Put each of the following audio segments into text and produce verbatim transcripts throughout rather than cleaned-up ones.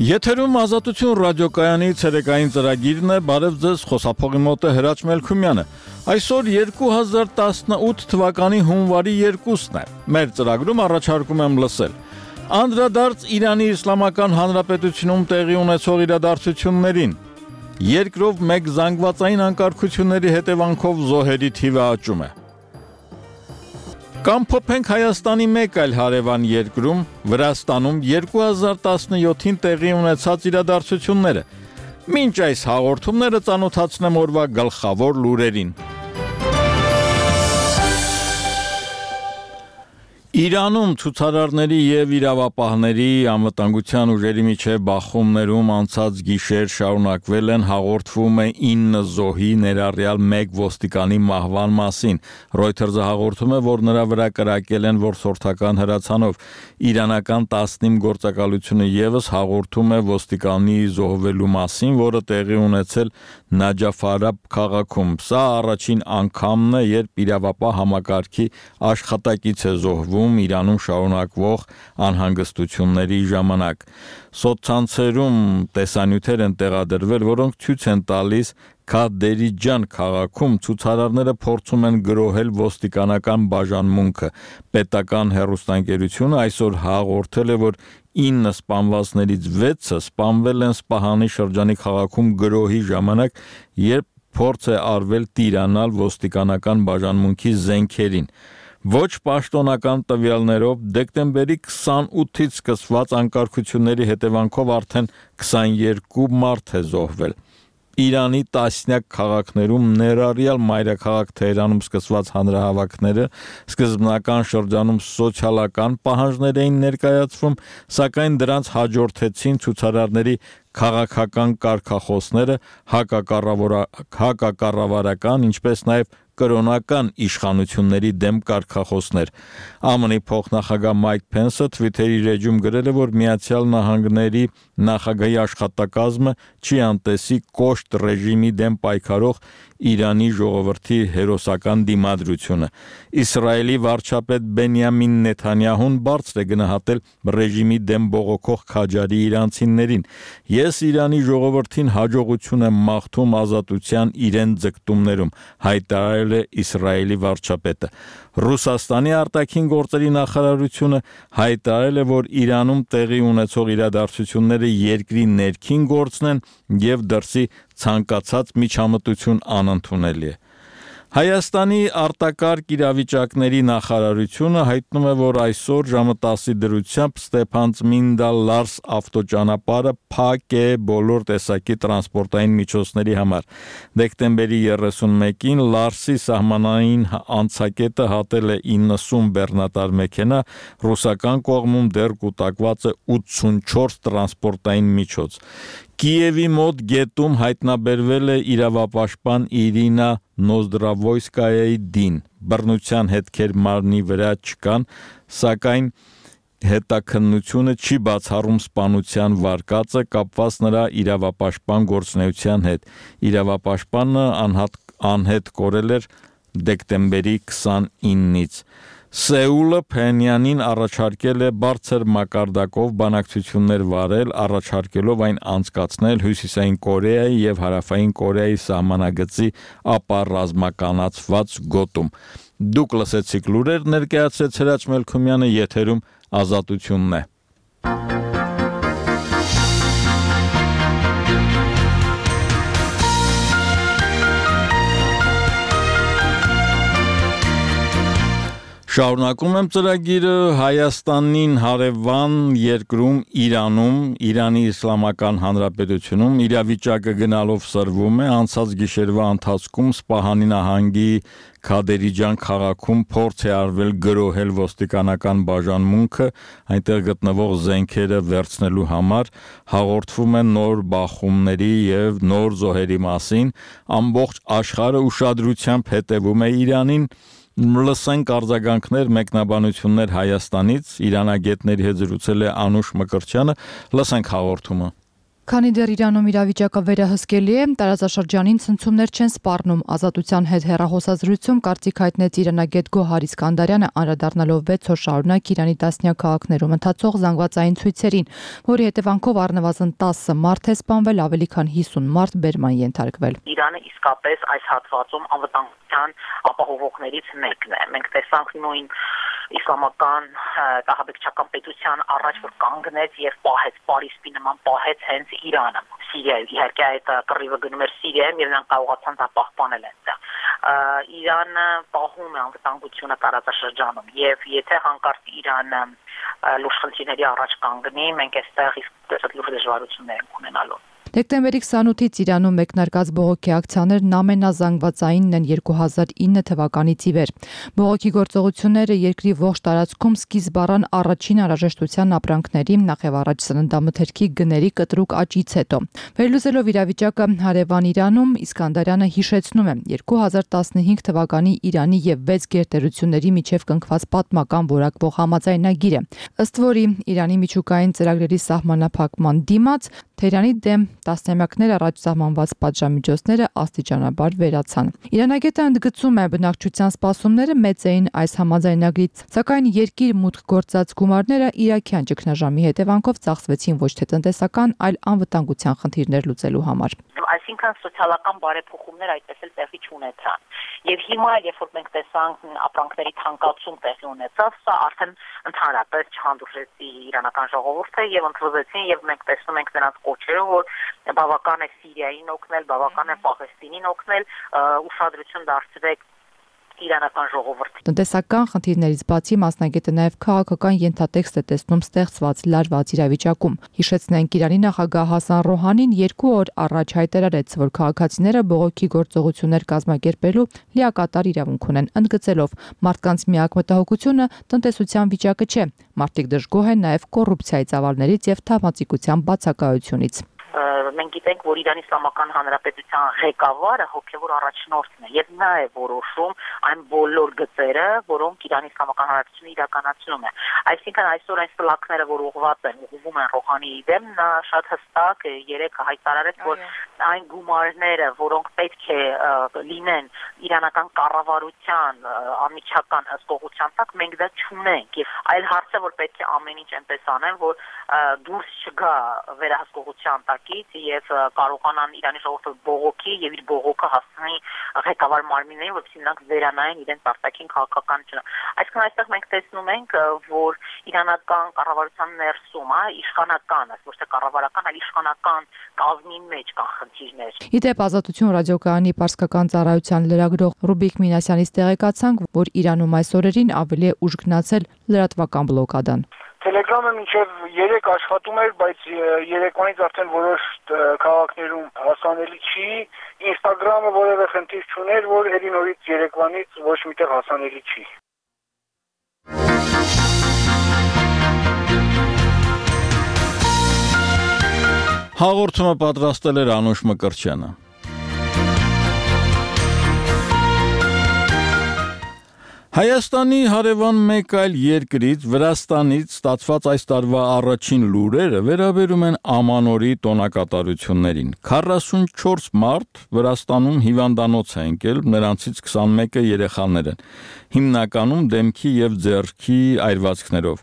Եթերում Ազատություն ռադիոկայանի ցերեկային ծրագիրն է, բարև ձեզ, խոսափողի մոտ է Հրաչ Մելքումյանը։ Այսօր երկու հազար տասնութ թվականի հունվարի երկուսն է։ Մեր ծրագրում առաջարկում եմ լսել անդրադարձ Իրանի Իսլամական Հանրապետությունում տեղի ունեցող իրադարձություններին։ Երկրով մեկ զանգվածային անկարգությունների հետևանքով զոհերի թիվը աճում է։ Կամ փոփենք Հայաստանի մեկ այլ հարևան երկրում, Վրաստանում երկու հազար տասնյոթին տեղի ունեցած իրադարձությունները։ Մինչ այս հաղորդումները ծանոթացնեմ օրվա գլխավոր լուրերին։ Իրանում ցուցարարների եւ իրավապահների անվտանգության ուժերի միջև բախումներում անցած գիշեր շարունակվել են, հաղորդվում է ինը զոհի, ներառյալ մեկ ոստիկանի մահվան մասին։ Reuters-ը հաղորդում է, որ նրա վրա կրակել են որսորդական հրացանով։ Իրանական տասնինը գործակալությունը եւս հաղորդում է ոստիկանի զոհվելու մասին, որը տեղի ունեցել Նաջաֆարաբ քաղաքում։ Սա առաջին անգամն է, երբ իրավապահ համակարգի աշխատակից է զոհվում Իրանում շարունակվող անհանգստությունների ժամանակ։ Սոցցանցերում տեսանյութեր են տեղադրվել, որոնք ցույց են տալիս Քադերիջան քաղաքում ցուցարարները փորձում են գրոհել ոստիկանական բաժանմունքը։ Պետական հեռուստաընկերությունը այսօր հաղորդել է, որ ինը սպանվածներից վեցը սպանվել են Սպահանի շրջանի քաղաքում գրոհի ժամանակ, երբ փորձ է արվել տիրանալ ոստիկանական բաժանմունքի զենքերին։ Ոչ պաշտոնական տվյալներով դեկտեմբերի քսանութից սկսված անկարգությունների հետևանքով արդեն քսաներկու մարդ է զոհվել։ Իրանի տասնյակ քաղաքներում, ներառյալ մայրաքաղաք Թեհրանում սկսված հանրահավաքները սկզբնական շրջանում սոցիալական պահանջներ էին ներկայացվում, սակայն դրանց հաջորդեցին ցուցարարների քաղաքական կարգախոսները, հակակառավարական, ինչպես նաև կրոնական իշխանությունների դեմ կարգախոսներ։ ԱՄՆ-ի փոխնախագահ Մայք Փենսը Twitter-ի էջում գրել է, որ Միացյալ Նահանգների նախագահի աշխատակազմը չի անտեսի կոշտ ռեժիմի դեմ պայքարող Իրանի ժողովրդի հերոսական դիմադրությունը։ Իսրայելի վարչապետ Բենյամին Նեթանյահուն բարձր է գնահատել ռեժիմի դեմ բողոքող քաջարի իրանցիներին։ Ես Իրանի ժողովրդին հաջողություն եմ մաղթում ազատության իրեն ձգտումներում, հայտարարել է Իսրայելի վարչապետը։ Ռուսաստանի արտաքին գործերի նախարարությունը հայտարարել է, որ Իրանում տեղի ունեցող իրադարձությունները երկրի ներքին գործն են եւ դրսի ցանկացած միջամտություն անընդունելի է։ Հայաստանի արտակարգ իրավիճակների նախարարությունը հայտնում է, որ այսօր ժամը տասի դրությամբ Ստեփանցմինդա Լարս ավտոճանապարհը փակ է բոլոր տեսակի տրանսպորտային միջոցների համար։ Դեկտեմբերի երեսունմեկին Լարսի սահմանային անցակետը հատել է իննսուն բեռնատար մեքենա, ռուսական կողմում դեռ կուտակված է ութսունչորս տրանսպորտային միջոց։ Կիևի մոտ գետում հայտնաբերվել է իրավապաշտպան Իրինա Նոզդրավոյսկայայի դին։ Բռնության հետքեր մարմնի վրա չկան, սակայն հետաքննությունը չի բացառում սպանության վարկածը կապված նրա իրավապաշտպան գործունեության հետ։ Իրավապաշտպանը անհատ, անհետ կորել էր դեկտեմբերի քսանինից։ Սեուլը Փենյանին առաջարկել է բարձր մակարդակով բանակցություններ վարել, առաջարկելով այն անցկացնել Հյուսիսային Կորեայի եւ Հարավային Կորեայի սահմանագծի ապառազմականացված գոտում։ Դուք լսեցիք լուրեր, ներկայացրեց Հրաչ Մելքումյանը, եթերում Ազատությունն է։ Շարունակում եմ ծրագիրը Հայաստանին հարևան երկրում Իրանում, Իրանի Իսլամական Հանրապետությունում իրավիճակը գնալով սրվում է, անցած գիշերվա ընթացքում Սպահանի նահանգի Քադերիջան քաղաքում փորձ է արվել գրոհել ոստիկանական բաժանմունքը, այնտեղ գտնվող զենքերը վերցնելու համար, հաղորդվում են նոր բախումների եւ նոր զոհերի մասին, ամբողջ աշխարհը ուշադրությամբ հետևում է Իրանին։ Լսենք արձագանքներ, մեկնաբանություններ Հայաստանից, իրանագետների հետ զրուցել է Անուշ Մկրտչյանը, լսենք հաղորդումը։ Քանի դեռ Իրանում իրավիճակը վերահսկելի է, տարածաշրջանին ցնցումներ չեն սպառնում։ Ազատության հետ հեռախոսազրույցում կարծիք հայտնեց իրանագետ Գոհար Իսկանդարյանը, անդրադառնալով վեց օր շարունակ Իրանի տասնյակ քաղաքներում ընթացող զանգվածային ցույցերին, որի հետևանքով առնվազն տասը մարդ է սպանվել, ավելի քան հիսուն մարդ բերման ենթարկվել։ Իրանը իսկապես այս հատվածում անվտանգության ապահովողներից մեկն է։ Մենք տեսանք նույն իսլամական տահաբեկչական պետության առաջ, որ կանգնեց եւ պահեց Պարիսպի նման պահեց հենց Իրանը, Սիրիայում, իհարկե այդ կռիվը գնում էր Սիրիայում եւ նրանք կարողացան դա պահպանել այնտեղ։ Իրանը պահում է անվտանգությունը տարածաշրջանում եւ եթե հանկարծ Իրանը լուրջ խնդիրների առաջ կանգնի, մենք այստեղ իսկ լուրջ դժվարություններ ունենալու։ Դեկտեմբերի քսանութից Իրանում մեկնարկած բողոքի ակցիաներն ամենազանգվածայինն են երկու հազար ինը թվականից ի վեր։ Բողոքի գործողությունները երկրի ողջ տարածքում սկիզբ առան առաջին անհրաժեշտության ապրանքների, նախ առաջ սննդամթերքի գների կտրուկ աճից հետո։ Վերլուծելով իրավիճակը հարևան Իրանում, Իսկանդարյանը հիշեցնում է երկու հազար տասնհինգ թվականի Իրանի եւ վեց գերտերությունների միջև կնքված պատմական որակվող համաձայնագիրը, ըստ որի Իրանի միջուկային ծրագրերի սահմանափակման դիմաց Թեհրանի դեմ տասնամյակներ առաջ սահմանված պատժամիջոցները աստիճանաբար վերացան։ Իրանագետը ընդգծում է, բնակչության սպասումները մեծ էին այս համաձայնագրից, սակայն երկիր մուտք գործած գումարները իրաքյան ճգնաժամի հետևանքով ծախսվեցին ոչ թե տնտեսական, այլ անվտանգության խնդիրներ լուծելու համար։ Այսինքն սոցիալական բարեփոխումներ այդպես էլ տեղի չունեցան։ Եվ հիմա, երբ որ մենք տեսանք ապրանքների թանկացում տեղի ունեցավ, սա արդեն ընդհանրապես չհանդուրժեցի իրանական ժողովուրդը եւ ընդվզեցին եւ մենք տեսնում ենք նրանց կոչերը, որ բավական է Սիրիային օգնել, բավական է Պաղեստինին օգնել, ուշադրություն դարձրեք իրանական ժողովրդի։ Տնտեսական խնդիրներից բացի մասնագետը նաև քաղաքական ենթատեքստ է տեսնում ստեղծված լարված իրավիճակում։ Հիշեցնենք, Իրանի նախագահ Հասան Ռոհանին երկու օր առաջ հայտարարեց, որ քաղաքացիները բողոքի գործողություններ կազմակերպելու լիակատար իրավունք ունեն, ընդգծելով մարդկանց միակ մտահոգությունը տնտեսության վիճակը չէ։ Մարդիկ դժգոհ են նաև կոռուպցիայի ծավալներից եւ թավանցիկության բացակայությունից։ Մենք գիտենք, որ Իրանի Իսլամական Հանրապետության ղեկավարը հոգևոր առաջնորդն է եւ նա է որոշում այն բոլոր գծերը, որոնք Իրանի Իսլամական Հանրապետությունը իրականացնում է։ Այսինքն այսօր այն սլաքները, որ ուղղված են, ուղղվում են Ռոհանիի դեմ, նա շատ հստակ երեք հայտարարեց, որ այն գումարները, որոնք պետք է լինեն իրանական կառավարության անմիջական հսկողության տակ, մենք դա չունենք։ Եվ այլ հարց է, որ պետք է ամեն ինչ այնպես անեն, որ դուրս չգա վերահսկողության տակից եւ կարողանան Իրանի ժողովուրդը բողոքի եւ իր բողոքը հասցնի ղեկավար մարմիններին, որպեսզի նրանք վերանային իրենց արտաքին քաղաքականությունը։ Այսինքն այստեղ մենք տեսնում ենք, որ իրանական կառավարության ներսում, հա, իշխանական, ոչ թե կառավարական, այլ իշխանական կազմի մեջ կան խնդիրներ։ Իդեպ Ազատություն ռադիոկայանի պարսկական ծառայության լրագրող Ռուբիկ Մինասյանից տեղեկացանք, որ Իրանում այս օրերին ավելի է ուժ գնացել լրատվական բլոկադան։ Տելեգրամը մինչև երեք աշխատում էր, բայց երեկվանից արդեն որոշ քաղաքներում հասանելի չի։ Ինստագրամը որևէ խնդիր չուներ, որ ելի նորից երեկվանից ոչ միտեղ հասանելի չի։ Հաղորդումը պատրաստել էր Անուշ Մկրտչյանը։ Հայաստանի հարևան մեկ այլ երկրից, Վրաստանից ստացված այս տարվա առաջին լուրերը վերաբերում են Ամանորի տոնակատարություններին։ քառասունչորս մարդ Վրաստանում հիվանդանոց է ընկել, նրանցից քսանմեկը երեխաներ են, հիմնականում դեմքի եւ ձեռքի այրվածքներով։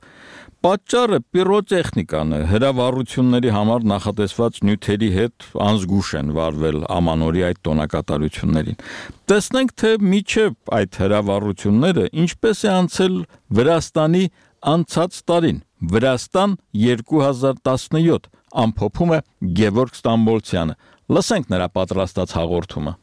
Պատճառը պիրոտեխնիկան է, հրավառությունների համար նախատեսված նյութերի հետ անզգուշ են վարվել Ամանորի այդ տոնակատարություններին։ Տեսնենք, թե միջև այդ հրավառությունները ինչպես է անցել Վրաստանի անցած տարին։ Վրաստան երկու հազար տասնյոթ ամփոփում է Գևորգ Ստամբոլցյանը։ Լսենք նրա պատրաստած հաղորդումը։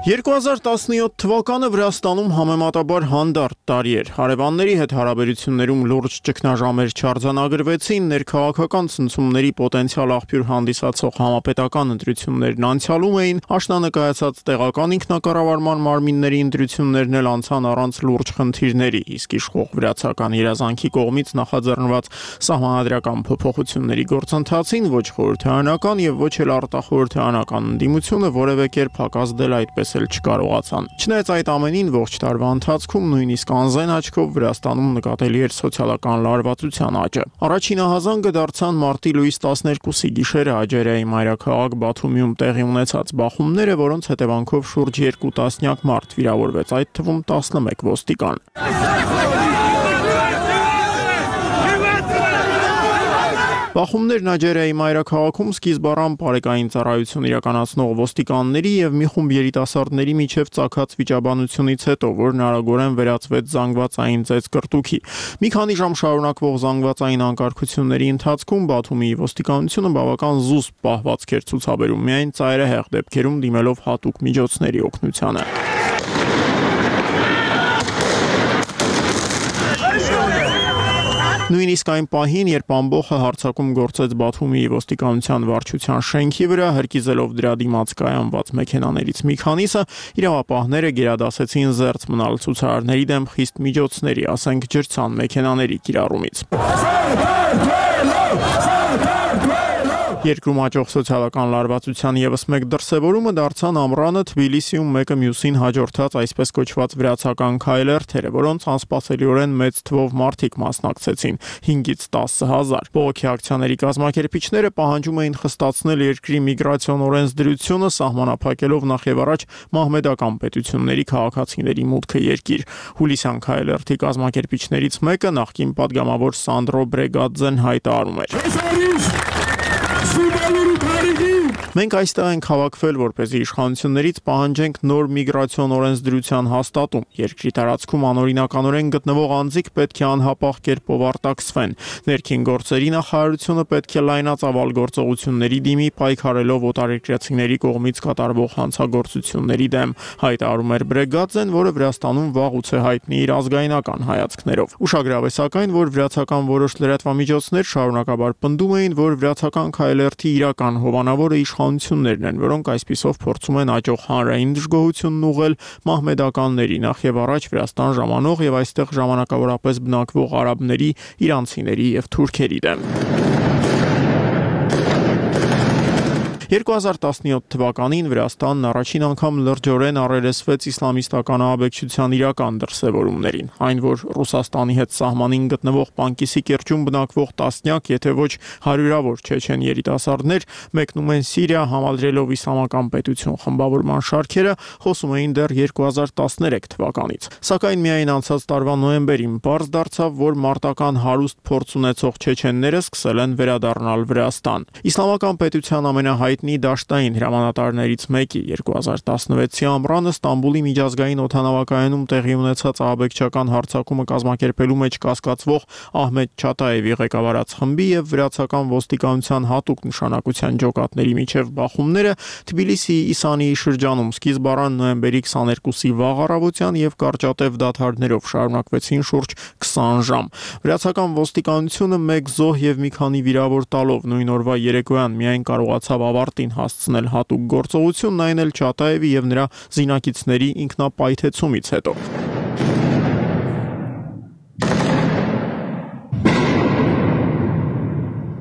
երկու հազար տասնյոթ թվականը Վրաստանում համեմատաբար հանդարտ տարի էր։ Հարևանների հետ հարաբերություններում լուրջ ճգնաժամեր չարձանագրվեցին, ներքաղաքական ցնցումների պոտենցիալ աղբյուր հանդիսացող համապետական ընտրություններն անցյալում էին, աշնանկայացած տեղական ինքնակառավարման մարմինների ընտրություններն էլ անցան առանց լուրջ խնդիրների, իսկ իշխող վրացական երազանքի կողմից նախաձեռնված սահմանադրական փոփոխությունների գործընթացին ոչ խորհրդարանական եւ ոչ էլ արտախորհրդարանական ընդդիմությունը որևէ կերպ հակազդել այդպես հասնել չկարողացան։ Չնայած այդ ամենին ողջ տարվա ընթացքում նույնիսկ անզեն աչքով Վրաստանում նկատելի էր սոցիալական լարվածության աճը։ Առաջին ահազանգը դարձան մարտի լույս տասներկուսի գիշերը Աջերիայի մայրաքաղաք Բաթումիում տեղի ունեցած բախումները, որոնց հետևանքով շուրջ երկու տասնյակ մարդ վիրավորվեց, այդ թվում տասնմեկ ոստիկան։ Բախումներն Աջերիայի մայրաքաղաքում սկիզբ առան պարեկային ծառայություն իրականացնող ոստիկանների եւ մի խումբ երիտասարդների միջև ծագած վիճաբանությունից հետո, որն արագորեն վերածվեց զանգվածային ծեծկռտուքի։ Մի քանի ժամ շարունակվող զանգվածային անկարգությունների ընթացքում Բաթումիի ոստիկանությունը բավական զուսպ պահվածք էր ցուցաբերում, միայն ծայրահեղ դեպքերում դիմելով հատուկ միջոցների օգնությանը։ Նույնիսկ այն պահին, երբ ամբողջը հարձակում գործեց Բաթումիի ոստիկանության վարչության շենքի վրա, հրկիզելով դրա դիմաց կայանված մեքենաներից մի քանիսը, իրավապահները գերադասեցին զերծ մնալ ցուցարարների դեմ խիստ միջոցների, ասենք ջրցան մեքենաների կիրառումից։ Երկրում աճող սոցիալական լարվածության ևս մեկ դրսևորումը դարձան ամռանը Թբիլիսիում մեկը մյուսին հաջորդած այսպես կոչված վրացական քայլերթերը, որոնց անսպասելիորեն մեծ թվով մարդիկ մասնակցեցին՝ հինգից տասը հազար։ Բողոքի ակցիաների կազմակերպիչները պահանջում էին խստացնել երկրի միգրացիոն օրենսդրությունը, սահմանափակելով նախ եւ առաջ մահմեդական պետությունների քաղաքացիների մուտքը երկիր։ Հուլիսյան քայլերթի կազմակերպիչներից մեկը նախկին падգամավոր Սանդրո Բրեգադզեն հայտարարում էր. Մենք այստեղ ենք հավաքվել, որպեսզի իշխանություններից պահանջենք նոր միգրացիոն օրենսդրության հաստատում։ Երկրի տարածքում անօրինականորեն գտնվող անձիկ պետք է անհապաղ կերպով արտաքսվեն։ Ներքին գործերի նախարարությունը պետք է լայնածավալ գործողությունների դիմի, պայքարելով օտարերկրացիների կողմից կատարվող հանցագործությունների դեմ, հայտարարում էր Բրեգադզեն, որը Վրաստանում վաղուց է հայտնի իր ազգայնական հայացքներով։ Ուշագրավ է սակայն, որ վրացական որոշ լրատվամիջոցներ շարունակաբար պնդում էին, որ վրացական քայլերթի իրական հովանավորը իշխանություններն են, որոնք այսպիսով փորձում են աճող հանրային դժգոհությունն ուղղել մահմեդականների, նախ եւ առաջ Վրաստան ժամանող եւ այստեղ ժամանակավորապես բնակվող արաբների, իրանցիների եւ թուրքերի դեմ։ երկու հազար տասնյոթ թվականին Վրաստանն առաջին անգամ լրջորեն առերեսվեց իսլամիստական ահաբեկչության իրական դրսևորումներին, այն որ Ռուսաստանի հետ սահմանին գտնվող Պանկիսի կիրճում բնակվող տասնյակ, եթե ոչ հարյուրավոր չեչեն երիտասարդներ մեկնում են Սիրիա, համալրելով իսլամական պետություն խմբավորման շարքերը, խոսում էին դեռ երկու հազար տասներեք թվականից։ Սակայն միայն անցած տարվա նոյեմբերին պարզ դարձավ, որ մարտական հարուստ փորձ ունեցող չեչենները սկսել են վերադառնալ Վրաստան։ Իսլամական պետության ամենահայտնի դաշտային հրամանատարներից մեկի երկու հազար տասնվեցի ամռանը Ստամբուլի միջազգային օդանավակայանում տեղի ունեցած ահաբեկչական հարձակումը կազմակերպելու մեջ կասկածվող Ահմեդ Չատաևի ղեկավարած խմբի եւ վրացական ոստիկանության հատուկ նշանակության ջոկատների միջև բախումները Թբիլիսիի Իսանիի շրջանում սկիզբ առան նոյեմբերի քսաներկուսի վաղ առավոտյան եւ կարճատև դադարներով շարունակվեցին շուրջ քսան ժամ։ Վրացական ոստիկանությունը մեկ զոհ եւ մի քանի վիրավոր տալով նույն օրվա երեկոյան միայն կարողացավ ավարտին հասցնել հատուկ գործողությունն, այն էլ Չատաևի եւ նրա զինակիցների ինքնապայթեցումից հետո։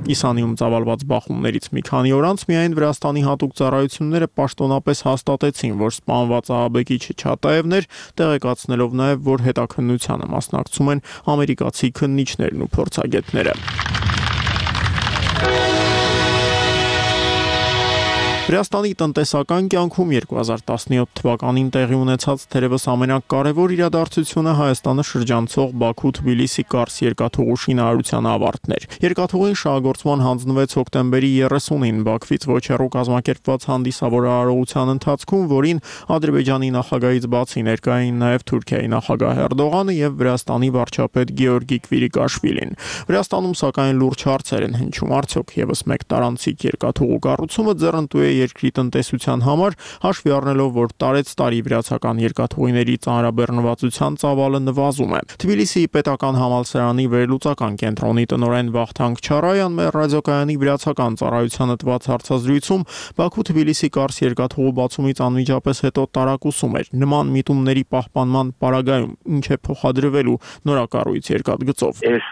Իսանիում ծավալված բախումներից մի քանի օր անց միայն Վրաստանի հատուկ ծառայությունները պաշտոնապես հաստատեցին, որ սպանված ահաբեկիչը Չատաևն էր, տեղեկացնելով նաև, որ հետաքննությանը մասնակցում են ամերիկացի քննիչներն ու փորձագետները։ Վրաստանի տնտեսական կյանքում երկու հազար տասնյոթ թվականին տեղի ունեցած թերևս ամենակարևոր իրադարձությունը Հայաստանը շրջանցող Բաքու-Թբիլիսի Կարս երկաթուղու շինարարության ավարտն էր։ Երկաթուղին շահագործման հանձնվեց հոկտեմբերի երեսունին Բաքվից ոչեռու կազմակերպված հանդիսավոր արարողության ընթացքում, որին Ադրբեջանի նախագահից բացի ներկա էին նաև Թուրքիայի նախագահ Էրդողանը եւ Վրաստանի վարչապետ Գեորգի Կվիրիկաշվիլին։ Վրաստանում սակայն լուրջ հարցեր են հնչում, արդյոք եւս մեկ տարանցիկ երկաթուղու կառուցումը ձեռնտու է երկրի տնտեսության համար, հաշվի առնելով, որ տարեց տարի վրացական երկաթուղիների ծանրաբեռնվածության ծավալը նվազում է։ Թբիլիսիի պետական համալսարանի վերլուծական կենտրոնի տնօրեն Վախթանգ Չարայան մեր ռադիոկայանի վրացական ծառայությանը տված հարցազրույցում Բաքու-Թբիլիսի Կարս երկաթուղու բացումից անմիջապես հետո տարակուսում էր նման միտումների պահպանման պարագայում ինչ է փոխադրվելու նորակառույց երկաթգծով։ Այս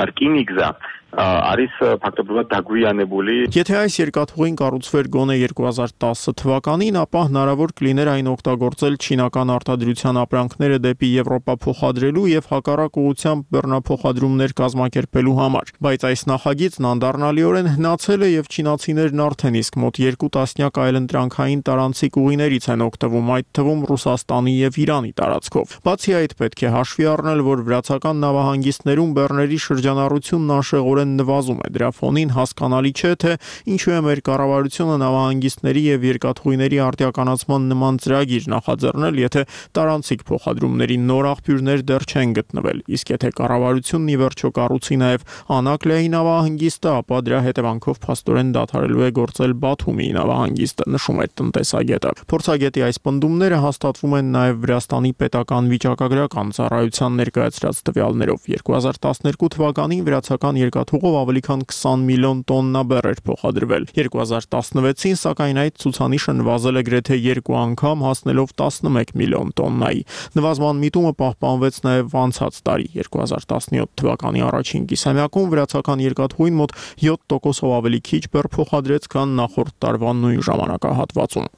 ռկինիգզա არის ფაქტობრივად დაგვიანებული. Եթե այս երկաթուղին կառուցվեր գոնե երկու հազար տասը թվականին, ապա հնարավոր կլիներ այն օգտագործել չինական արտադրության ապրանքները դեպի Եվրոպա փոխադրելու եւ հակառակ ուղղությամբ բեռնափոխադրումներ կազմակերպելու համար, բայց այս նախագիծն անդառնալիորեն հնացել է եւ չինացիներն արդեն իսկ մոտ երկու տասնյակ այլընտրանքային տարանցիկ ուղիներից են օգտվում, այդ թվում Ռուսաստանի եւ Իրանի տարածքով։ Բացի այդ, պետք է հաշվի առնել, որ վրացական նավահանգիստներում բեռների շրջանառությունն անշեղորեն նվազում է։ Դրա ֆոնին հասկանալի չէ, թե ինչու է մեր կառավարությունը նավահանգիստների եւ երկաթուղիների արտիականացման նման ծրագիր նախաձեռնել, եթե տարանցիկ փոխադրումների նոր աղբյուրներ դեռ չեն գտնվել։ Իսկ եթե կառավարությունն ի վերջո կառուցի նաեւ Անակլեայի նավահանգիստը, ապա դրա հետևանքով փաստորեն դադարելու է գործել Բաթումի նավահանգիստը, նշում է տնտեսագետը։ Փորձագետի այս պնդումները հաստատվում են նաեւ Վրաստանի պետական վիճակագրական ծառայության ներկայացրած տվյալներով։ երկու հազար տասներկու թվականին վրացական երկաթուղով ավելի քան քսան միլիոն տոննա բեռ էր փոխադրվել։ երկու հազար տասնվեցին, սակայն այդ ցուցանիշը նվազել է գրեթե երկու անգամ, հասնելով տասնմեկ միլիոն տոննայի։ Նվազման միտումը պահպանվեց նաև անցած տարի։ երկու հազար տասնյոթ թվականի առաջին կիսամյակում վրացական երկաթուղին մոտ յոթ տոկոսով ավելի քիչ բեռ փոխադրեց, քան նախորդ տարվա նույն ժամանակահատվածում։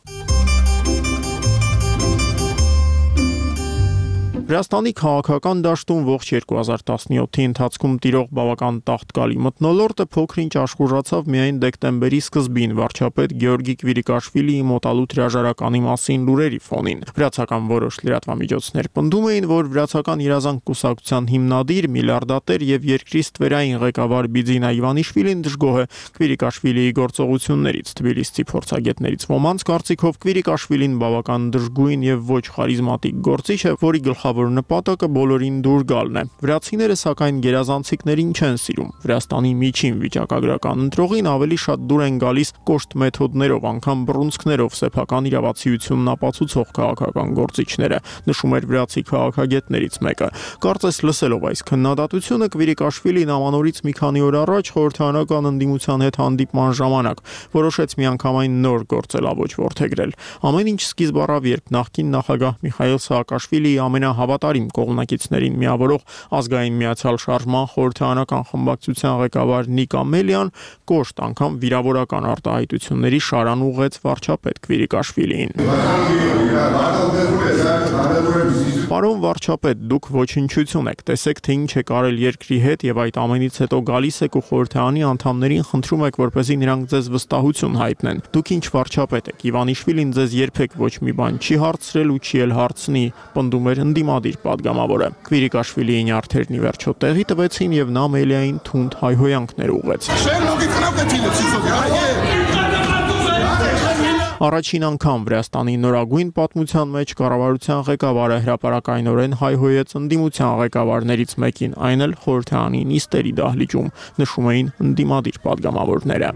Վրաստանի քաղաքական դաշտում ողջ երկու հազար տասնյոթի ընթացքում տիրող բավական տաղտկալի մթնոլորտը փոքր-ինչ աշխուժացավ միայն դեկտեմբերի սկզբին վարչապետ Գեորգի Կվիրիկաշվիլիի մոտալուտ հրաժարականի մասին լուրերի ֆոնին։ Վրացական որոշ լրատվամիջոցներ պնդում էին, որ վրացական երազանք կուսակցության հիմնադիր, միլիարդատեր եւ երկրի ստվերային ղեկավար Բիձինա Իվանիշվիլին դժգոհ է Կվիրիկաշվիլիի գործողություններից։ Թբիլիսցի փորձագետներից ոմանց կարծիքով Կվիրիկաշվիլին բավական դժգույն եւ ոչ խարիզմատիկ գործիչ է, որի գլխավոր նպատակը բոլորին դուր գալն է։ Վրացիները սակայն գերազանցիկներին չեն սիրում։ Վրաստանի միջին վիճակագրական ընտրողին ավելի շատ դուր են գալիս կոշտ մեթոդներով, անգամ բռունցքներով սեփական իրավացիությունն ապացուցող քաղաքական գործիչները, նշում էր վրացի քաղաքագետներից մեկը։ Կարծես լսելով այս քննադատությունը Կվիրիկաշվիլին ամանորից մի քանի օր առաջ խորհրդարանական ընդդիմության հետ հանդիպման ժամանակ որոշեց միանգամայն նոր գործելավոճ որդեգրել։ Ամեն ինչ սկիզբ առավ, երբ նախկին նախագահ Միխայիլ Սաակաշվիլիի ամենահավատարիմ կողմնակիցներին միավորող ազգային միացյալ շարժման խորհրդարանական խմբակցության ղեկավար Նիկ Ամելյան կոշտ անգամ վիրավորական արտահայտությունների շարան ուղղեց վարչապետ Կվիրիկաշվիլիին։ Պարոն վարչապետ, դուք ոչնչություն եք, տեսեք, թե ինչ եք արել երկրի հետ եւ այդ ամենից հետո գալիս եք ու խորհրդարանի անդամներին խնդրում եք, որպեսզի նրանք ձեզ վստահություն հայտնեն։ Դուք ինչ վարչապետ եք, Իվանիշվիլին ձեզ երբեք ոչ մի բան չի հարցրել ու չի էլ հարցնի, պնդում էր ընդդիմադիր պատգամավորը։ Կվիրիկաշվիլիի նյարդերն ի վերջո տեղի տվեցին եւ նա Ամելիային թունդ հայհոյանքներ ուղղեց։ Առաջին անգամ Վրաստանի նորագույն պատմության մեջ կառավարության ղեկավարը հրապարակայնորեն հայհոյեց ընդդիմության ղեկավարներից մեկին, այն էլ խորհրդարանի նիստերի դահլիճում, նշում էին ընդդիմադիր պատգամավորները։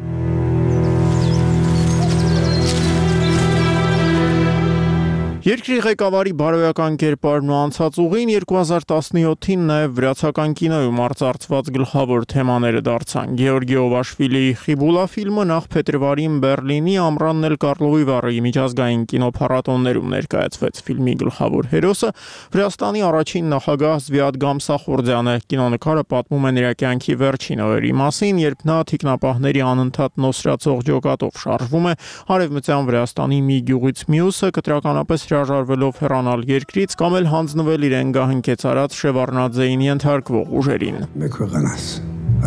Երկրի ղեկավարի բարոյական կերպարն ու անցած ուղին երկու հազար տասնյոթին նաև վրացական կինոյում արծարծված գլխավոր թեմաները դարձան։ Գեորգի Օվաշվիլիի Խիբուլա ֆիլմը նախ փետրվարին Բեռլինի Ամռան Նել Կարլովի վառի միջազգային կինոփառատոներում ներկայացվեց։ Ֆիլմի գլխավոր հերոսը Վրաստանի առաջին նախագահ Զվիադ Գամսախորդյանը։ Կինոնկարը պատմում է նրա կյանքի վերջին օրերի մասին, երբ նա թիկնապահների անընդհատ նոսրացող ջոկատով շարժվում է Արևմտյան Վրաստանի մի գյուղից մյուսը, կտրականապես հրաժարվելով հեռանալ երկրից կամ էլ հանձնվել իրեն գահընկեց արած Շևարդնաձեին ենթարկվող ուժերին։ Մեկ վեղանաս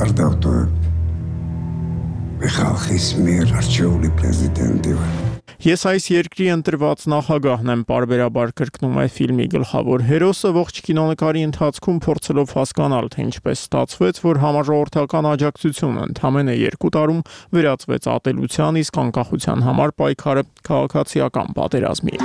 արդավտո Միխալխիս մեր արջողի պրեզիդենտի Ես այս երկրի ընտրված նախագահն եմ, պարբերաբար կրկնում է ֆիլմի գլխավոր հերոսը, ողջ կինոնկարի ընթացքում փորձելով հասկանալ, թե ինչպես ստացվեց, որ համաժողովրդական աջակցությունը ընդամենը երկու տարում վերածվեց ատելության, իսկ անկախության համար պայքարը քաղաքացիական պատերազմի։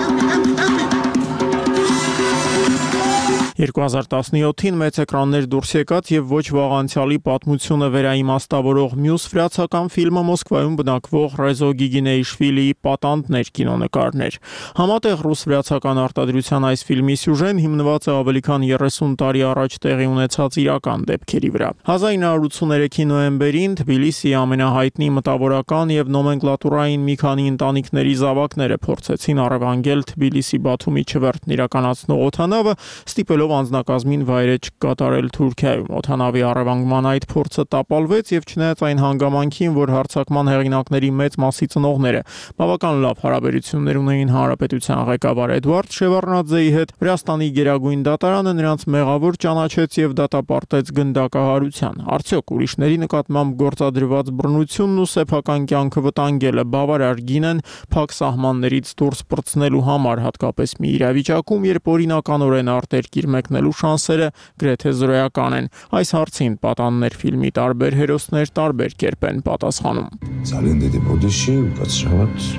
երկու հազար տասնյոթին մեծ էկրաններ դուրս եկած եւ ոչ վաղ անցյալի պատմությունը վերաիմաստավորող մյուս վրացական ֆիլմը Մոսկվայում բնակվող Ռեզո Գիգինեիշվիլիի Պատանդներ կինոնկարներ։ Համատեղ ռուս-վրացական արտադրության այս ֆիլմի սյուժեն հիմնված է ավելի քան երեսուն տարի առաջ տեղի ունեցած իրական դեպքերի վրա։ հազար ինը հարյուր ութսուներեքի նոյեմբերին Թբիլիսիի ամենահայտնի մտավորական եւ նոմենկլատուրային մի քանի ընտանիքների զավակները փորձեցին առևանգել Թբիլիսի Բաթումի չվերթն իրականացնող օդանավը, ստիպելով ցույցով անձնակազմին վայրէջք կատարել Թուրքիայում։ Օդանավի առևանգման այդ փորձը տապալվեց եւ չնայած այն հանգամանքին, որ հարձակման հեղինակների մեծ մասի ծնողները բավական լավ հարաբերություններ ունեին հանրապետության ղեկավար Էդվարդ Շևարդնաձեի հետ, Վրաստանի գերագույն դատարանը նրանց մեղավոր ճանաչեց եւ դատապարտեց գնդակահարության։ Արդյոք ուրիշների նկատմամբ գործադրված բռնությունն ու սեփական կյանքը վտանգելը բավարար գին են փակ սահմաններից դուրս պրծնելու համար, հատկապես մի իրավիճակում, երբ օրինականորեն արտերկիր մեկնելու շանսերը գրեթե զրոյական են։ Այս հարցին պատաններ ֆիլմի տարբեր հերոսներ տարբեր կերպ են պատասխանում։ Ძალიან დიდი բոդիշի უკაცრავად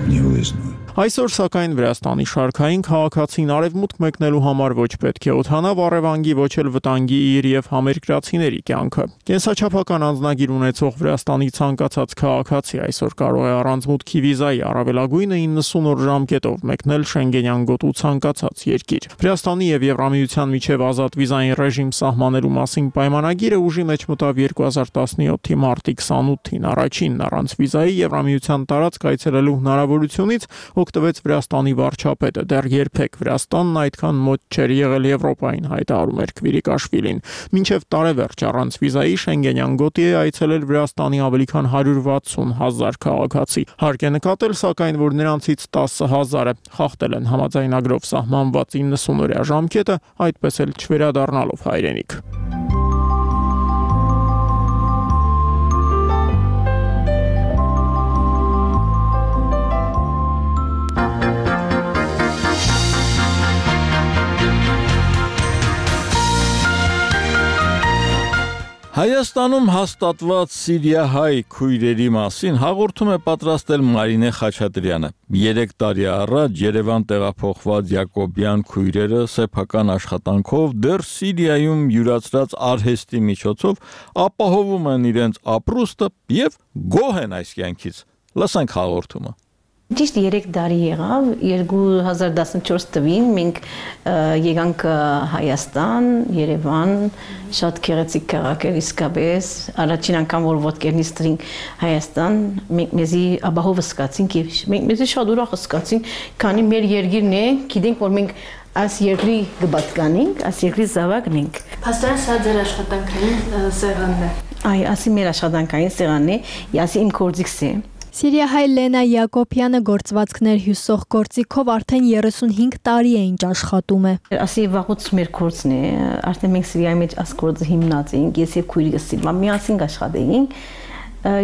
նիուեզնու Այսօր սակայն Վրաստանի շարքային քաղաքացին արևմուտք մեկնելու համար ոչ պետք է օդանավ առևանգի, ոչ էլ վտանգի իր եւ համերկրացիների կյանքը։ Կենսաչափական անձնագիր ունեցող Վրաստանի ցանկացած քաղաքացի այսօր կարող է առանց մուտքի վիզայի առավելագույնը իննսուն օր ժամկետով մեկնել Շենգենյան գոտու ցանկացած երկիր։ Վրաստանի եւ Եվրամիության միջև ազատ վիզային ռեժիմ սահմանելու մասին պայմանագիրը ուժի մեջ մտավ երկու հազար տասնյոթի մարտի քսանութին առաջինն առանց վիզայի Եվրամիության տարածք այցելելու հնարավորությունից օգտվեց Վրաստանի վարչապետը։ Դեռ երբեք Վրաստանն այդքան մոտ չէր եղել Եվրոպային, հայտարարում էր Քվիրիկաշվիլին։ Մինչև տարեվերջ առանց վիզայի Շենգենյան գոտի է այցելել Վրաստանի ավելի քան հարյուր վաթսուն հազար քաղաքացի։ Հարկ է նկատել, սակայն, որ նրանցից տասը հազարը խախտել են համաձայնագրով սահմանված իննսուն օրյա ժամկետը, այդպես էլ չվերադառնալով հայրենիք։ Հայաստանում հաստատված սիրիահայ քույրերի մասին հաղորդում է պատրաստել Մարինե Խաչատրյանը։ Երեք տարի առաջ Երևան տեղափոխված Յակոբյան քույրերը սեփական աշխատանքով դեռ Սիրիայում յուրացրած արհեստի միջոցով ապահովում են իրենց ապրուստը եւ գոհ են այս կյանքից։ Լսենք հաղորդումը։ Ճիշտ երեք տարի եղավ, երկու հազար տասնչորս թվականին մենք եկանք Հայաստան, Երևան, շատ գեղեցիկ քաղաք էր իսկապես, առաջին անգամ որ ոտքերն իստրին Հայաստան, մենք մեզի ապահով զգացինք եւ մենք մեզի շատ ուրախ զգացինք, քանի մեր երկիրն է, գիտենք որ մենք այս երկրի գբատկանենք, այս երկրի զավակն ենք։ Փաստորեն սա ձեր աշխատանքային սեղանն է։ Այ, ասի մեր աշխատանքային սեղանն է, ասի իմ գործիքս է։ Սիրիահայ Լենա Յակոբյանը գործվածքներ հյուսող գործիքով արդեն երեսունհինգ տարի է ինչ աշխատում է։ Ասի վաղուց մեր գործն է, արդեն մենք Սիրիայի մեջ այս գործը հիմնած էինք, ես եւ քույրիկս միասին աշխատեինք,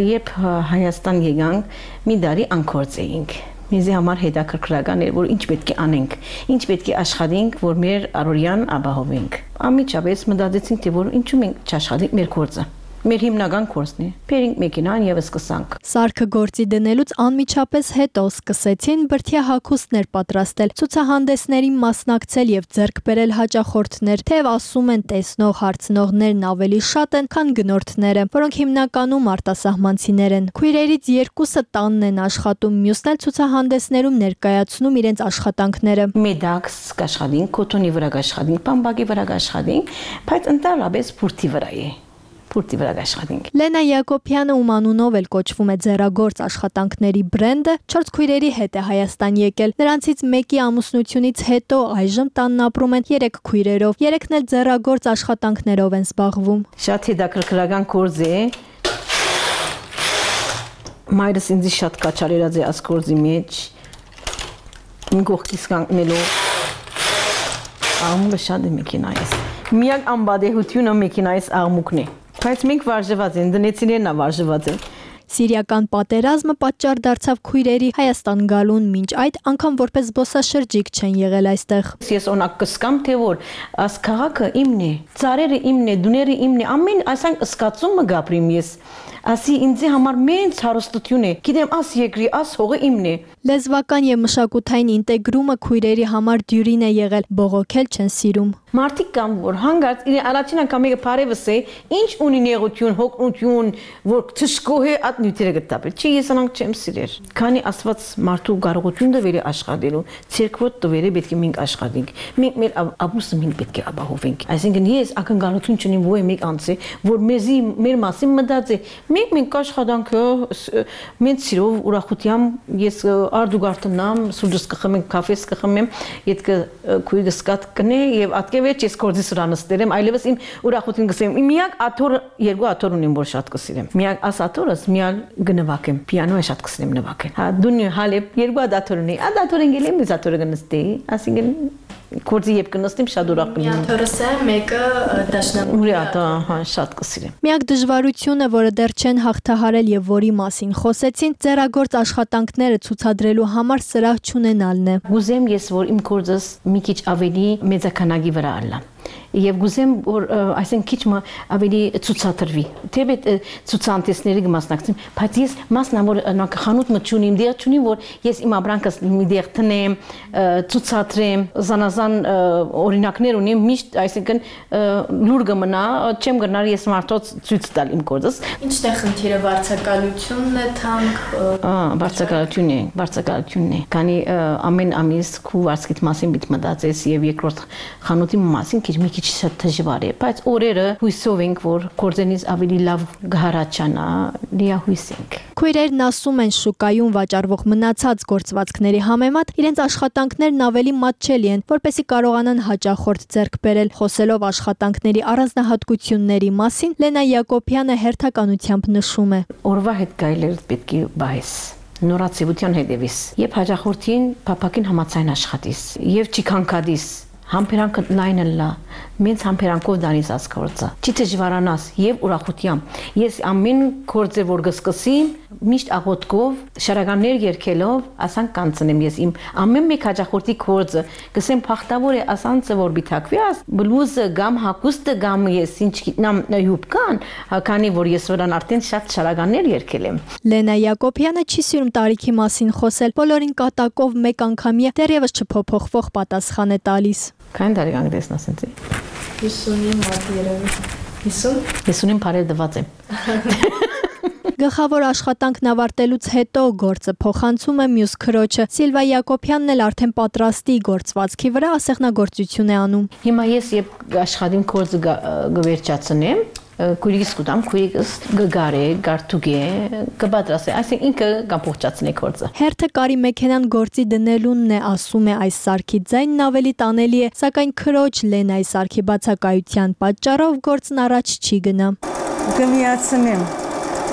երբ Հայաստան եկանք, մի տարի անկորձ էինք։ Մեզի համար հետաքրքրական էր, որ ինչ պետք է անենք, ինչ պետք է աշխատենք, որ մեր առօրյան ապահովենք։ Անմիջապես մտածեցինք, թե որ ինչու մենք չաշխատենք մեր գործը։ Մեր հիմնական կորսն է։ Բերինք մեքենան եւ սկսանք։ Սարքը գործի դնելուց անմիջապես հետո սկսեցին բրդյա հագուստներ պատրաստել, ցուցահանդեսներին մասնակցել եւ ձեռք բերել հաճախորդներ, թեև ասում են տեսնող հարցնողներն ավելի շատ են, քան գնորդները, որոնք հիմնականում արտասահմանցիներ են։ Քույրերից երկուսը տանն են աշխատում, մյուսն էլ ցուցահանդեսներում ներկայացնում իրենց աշխատանքները։ Մեդաքս կաշխատին, կոտոնի վրա կաշխատին, բամբակի վրա կաշխատին, բայց ընդհանրապես բուրդի վրա է։ Լենա Յակոբյանը, ում անունով էլ կոչվում է ձեռագործ աշխատանքների բրենդը, չորս քույրերի հետ է Հայաստան եկել։ Նրանցից մեկի ամուսնությունից հետո այժմ տանն ապրում են երեք քույրերով։ Երեքն էլ ձեռագործ աշխատանքներով են զբաղվում։ Շատ հետաքրքրական գործ է։ Մայրս ինձ շատ կաչալերած է այս գործի մեջ։ Իմ կողքից կանգնելու աղմուկը շատ է մեքենայից։ Միակ անբադեհությունը մեքենայից աղմուկն է։ Բայց մենք վարժված են, դնեցիներն վարժված են։ Սիրիական պատերազմը պատճառ դարձավ քույրերի Հայաստան գալուն, մինչ այդ անգամ որպես զբոսաշրջիկ չեն եղել այստեղ։ Ես օրինակ կսկամ, թե որ այս քաղաքը իմն է, ծառերը իմն է, դուները իմն է, ամեն այսինքն սկացումը գապրիմ ես։ Ասի ինձ համար մեծ հարստություն է։ Գիտեմ, աս երկրի, աս հողը իմն է։ Լեզվական եւ մշակութային ինտեգրումը քույրերի համար դյուրին է եղել, բողոքել չեն սիրում։ Մարդիկ կան, որ հանգարց առաջին անգամ եկը բարևս է, ինչ ունի նեղություն, հոգնություն, որ թշկոհ է այդ նյութերը գտապել։ Չի ես անանք չեմ սիրեր։ Քանի Աստված մարդու կարողություն տվել է աշխատելու, ցերկվոտ տվել է պետք է մենք աշխատենք։ Մենք մեր ապրուսը մենք պետք է ապահովենք։ Այսինքն ես ակնկալություն չունեմ ոյ մեկ անձի, որ մեզի մեր մասին մտածի։ Մենք մենք աշխատանքը մենք սիրով ուրախությամբ ես արդուգարտնամ, սուջս կխմեմ, կաֆես կխմեմ, յետք քույրս կատ կնե եւ ատկեվեջ ես կորձի սրանստերեմ, այլևս իմ ուրախություն կսեմ։ Միակ աթոր երկու աթոր ունեմ, որ շատ կսիրեմ։ Միակ աս աթորս միալ գնվակեմ, պիանոյը շատ կսիրեմ նվակել։ Հա դու հալեփ երկու աթոր ունի, ադա աթոր ընկել եմ, ես աթորը գնստի, ասինքն Կորձի եփ կնստիմ շատ ուրախ կլինեմ։ Մի աթորս է, մեկը դաշնամուրի։ Ուրի աթա, հա, շատ կսիրեմ։ Միակ դժվարությունը, որը դեռ չեն հաղթահարել եւ որի մասին խոսեցին, ձեռագործ աշխատանքները ցուցադրելու համար սրահ չունենալն է։ Գուզեմ ես, որ իմ կորձս մի քիչ ավելի մեծականագի վրա ալա։ Եվ գուզեմ որ այսինքն քիչ ավելի ցուցադրվի թեպետ ցուցանտեսների մասնակցեմ բայց ես մասնավոր նախախանութ մտչունիմ դեր չունիմ որ ես իմ ապրանքս մի դեր տնեմ ցուցադրեմ զանազան օրինակներ ունեմ միշտ այսինքն լուր կմնա չեմ գնար ես մարդոց ցույց տալ իմ կորձս Ինչն է խնդիրը վարձակալությունն է թանկ ահա վարձակալությունն է վարձակալությունն է քանի ամեն ամիս քու վարձկիտ մասին պիտի մտածես եւ երկրորդ խանութի մասին քիչ մի քիչ շատ դժվար է, բայց օրերը հույսով ենք, որ կորձենից ավելի լավ գահարաճանա, լիահույս ենք։ Քույրերն ասում են շուկայում վաճառվող մնացած գործվածքների համեմատ իրենց աշխատանքներն ավելի մատչելի են, որպեսզի կարողանան հաճախորդ ձեռք բերել։ Խոսելով աշխատանքների առանձնահատկությունների մասին, Լենա Յակոբյանը հերթականությամբ նշում է. Օրվա հետ գայլեր պետք է բայես նորացիության հետևից, եւ հաճախորդին փափակին համացայն աշխատիս, եւ չքանքադիս Համբերանքը լայնը լա, մենց համբերանքով դանից ասկորձը, չի դժվարանաս եւ ուրախությամբ։ Ես ամեն կորձը որ գսկսիմ, միշտ աղոթքով, շարականներ երկելով, ասան կանցնեմ ես իմ ամեն մեկ հաջախորդի կորձը, գսեմ փախտավոր է ասանցը որ բիթակվի աս, բլուզը գամ հակուստը գամ ես ինչ գիտնամ հյուբկան, քանի որ ես վրան արդեն շատ շարականներ երկել եմ։ Լենա Յակոբյանը չի սիրում տարիքի մասին խոսել, բոլորին կատակով մեկ անգամյա դեռևս չփոփոխվող պատասխան է տալիս։ Քան դարիքան դեսնաս ինձ։ հիսունի մոտ երևի։ հիսուն։ հիսունին բարեր դված եմ։ Գլխավոր աշխատանքն ավարտելուց հետո գործը փոխանցում է մյուս քրոջը։ Սիլվա Յակոբյանն էլ արդեն պատրաստի գործվածքի վրա ասեղնագործություն է անում։ Հիմա ես երբ աշխատիմ գործը գվերջացնեմ, քույրիկս կուտամ, քույրիկս գգարե, գարտուգե, կպատրաստե, այսինքն ինքը կամփոխացնի գործը։ Հերթը կարի մեքենան գործի դնելունն է, ասում է այս սարքի ձայնն ավելի տանելի է, սակայն քրոջ Լենայի սարքի բացակայության պատճառով գործն առաջ չի գնա։ Կմիացնեմ,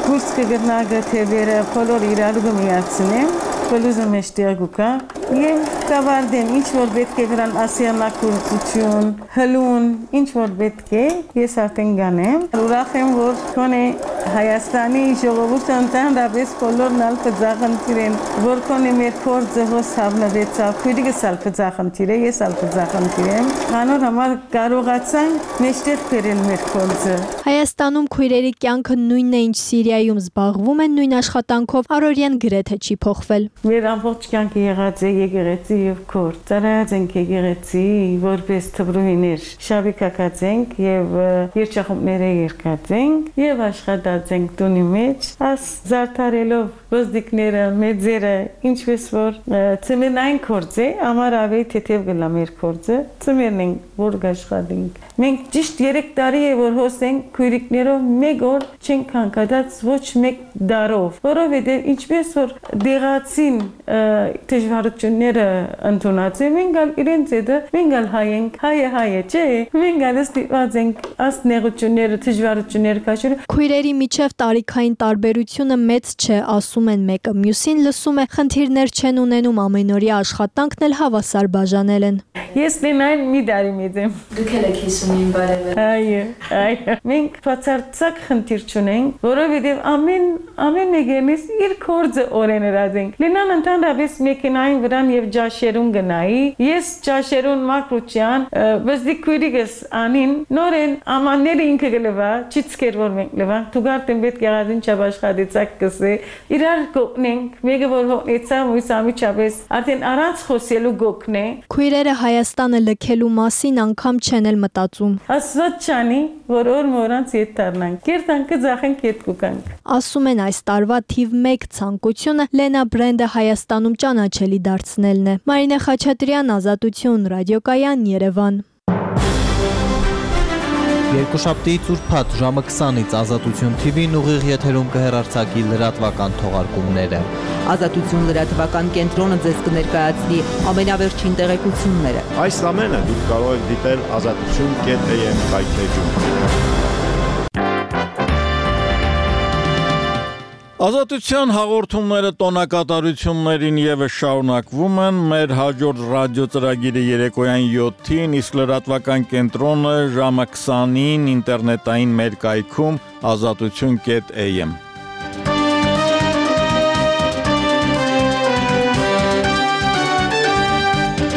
կուրս կգտնա գթևերը, բոլոր իրար կմիացնեմ, բլուզը մեջտեղ գուկա եւ կավարտեմ ինչ որ պետք է վրան ասիանակուրություն, հլուն, ինչ որ պետք է, ես արդեն գանեմ։ Ուրախ եմ որ քոնե Հայաստանի ժողովուրդը ընդհանրապես բոլորն ալ կձախնդիրեն, որ քոնե մեր կորձը հոս հավնվեցավ, քույրիկս ալ կձախնդիր է, ես ալ կձախնդիր եմ։ Անոր համար կարողացանք մեջտեղ բերել մեր կորձը։ Հայաստանում քույրերի կյանքը նույնն է, ինչ Սիրիայում զբաղվում են նույն աշխատանքով, առօրյան գրեթե չի փոխվել։ Մեր ամբողջ կյանքը եղած է եկեղեցի եւ քոր։ Ծառայած ենք եկեղեցի, որպես թվրուհիներ շաբիկակած ենք եւ երջախումբները երկած ենք եւ աշխատած ենք տունի մեջ, աս զարդարելով ոզդիկները, մեծերը, ինչպես որ ծմենային կորձ է, ամար ավելի թեթև գլա մեր կորձը, ծմերն ենք որ աշխատենք։ Մենք ճիշտ երեք տարի է որ հոսենք քույրիկներով մեկ օր չենք հանգադած ոչ մեկ դարով, որովհետեւ ինչպես որ դեղացին դժվարությունները ընդունած են, մենք ալ իրենց հետը մենք ալ հայ ենք, հայը հայ է, չէ՞։ Մենք ալ ստիպված ենք աս նեղությունները, դժվարությունները քաշել։ Քույրերի միջև տարիքային տարբերությունը մեծ չէ, ասում են մեկը մյուսին, լսում է խնդիրներ չեն ունենում, ամենօրյա աշխատանքն էլ հավասար բաժանել են։ Ես Լենային մի տարի մեծ եմ։ Դուք եք հիսունին բարևեր։ Այո, այո։ Մենք բացարձակ խնդիր չունենք, որովհետև ամեն ամեն մեկից իր կորձը օրեներած ենք։ Լենան ընդհանրապես մեքենային վրան եւ ջաշերուն գնայի, ես ջաշերուն մակրուչյան, բզդի քույրիկս անին նորեն ամանները ինքը գլվա, չիցկեր որ մենք լվա, դուգարտեն պետք եղածին չաշխատեցակ կսե, իրար գոտնենք, մեկը որ հոգնեցա, մույս ամիջապես արդեն առանց խոսելու գոքնե։ Քույրերը Հայաստանը լքելու մասին անգամ չեն էլ մտածում։ Աստված չանի, որ օր մորանց ետ դառնանք։ Կերտանքը ձախենք ետ կուկանք։ Ասում են այս տարվա թիվ մեկ ցանկությունը Լենա բրենդը Հայաստանում ճանաչելի դարձնելն է։ Մարինե Խաչատրյան, Ազատություն, ռադիոկայան, Երևան։ Երկուշաբթիից ուրբաթ ժամը քսանից Ազատություն թի վին ուղիղ եթերում կհեռարձակի լրատվական թողարկումները։ Ազատություն լրատվական կենտրոնը ձեզ կներկայացնի ամենավերջին տեղեկությունները։ Այս ամենը դուք կարող եք դիտել ազատություն կետ է եմ կայքեջում։ Ազատության հաղորդումները տոնակատարություններին ևս շարունակվում են, մեր հաջորդ ռադիո ծրագիրը երեկոյան յոթին, իսկ լրատվական կենտրոնը ժամը քսանին ինտերնետային մեր կայքում ազատություն կետ է եմ։